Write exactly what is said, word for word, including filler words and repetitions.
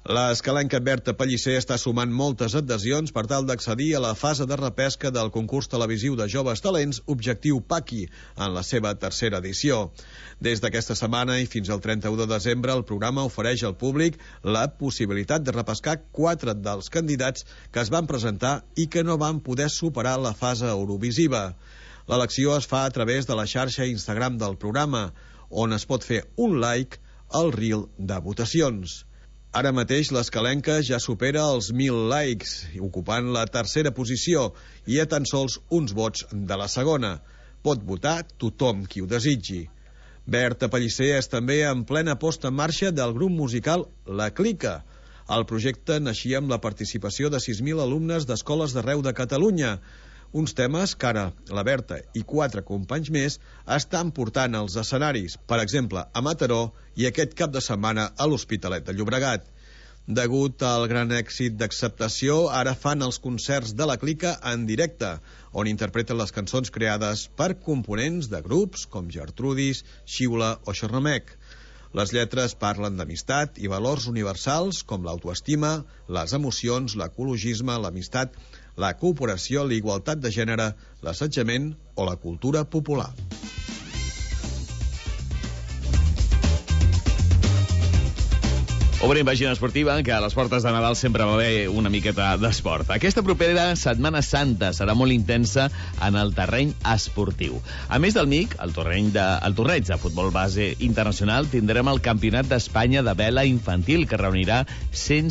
L'escalenca Berta Pellicer està sumant moltes adhesions per tal d'accedir a la fase de repesca del concurs televisiu de joves talents Objectiu Paqui en la seva tercera edició. Des d'aquesta setmana i fins al trenta-u de desembre, el programa ofereix al públic la possibilitat de repescar quatre dels candidats que es van presentar i que no van poder superar la fase eurovisiva. L'elecció es fa a través de la xarxa Instagram del programa, on es pot fer un like al reel de votacions. Ara mateix l'escalenca ja supera els mil likes, ocupant la tercera posició i a tan sols uns vots de la segona. Pot votar tothom qui ho desitgi. Berta Pellicer és també en plena posta en marxa del grup musical La Clica. El projecte naixia amb la participació de sis mil alumnes d'escoles d'arreu de Catalunya. Uns temes que ara la Berta i quatre companys més estan portant als escenaris, per exemple, a Mataró i aquest cap de setmana a l'Hospitalet de Llobregat. Degut al gran èxit d'acceptació, ara fan els concerts de La Clica en directe, on interpreten les cançons creades per components de grups com Gertrudis, Xiula o Xerramec. Les lletres parlen d'amistat i valors universals com l'autoestima, les emocions, l'ecologisme, l'amistat, la cooperació, la igualtat de gènere, l'assetjament o la cultura popular. Obrim pàgina esportiva, que a les portes de Nadal sempre va haver una miqueta d'esport. Aquesta propera Setmana Santa serà molt intensa en el terreny esportiu. A més del M I C, el, terreny de, el torneig de futbol base internacional, tindrem el Campionat d'Espanya de vela infantil, que reunirà cent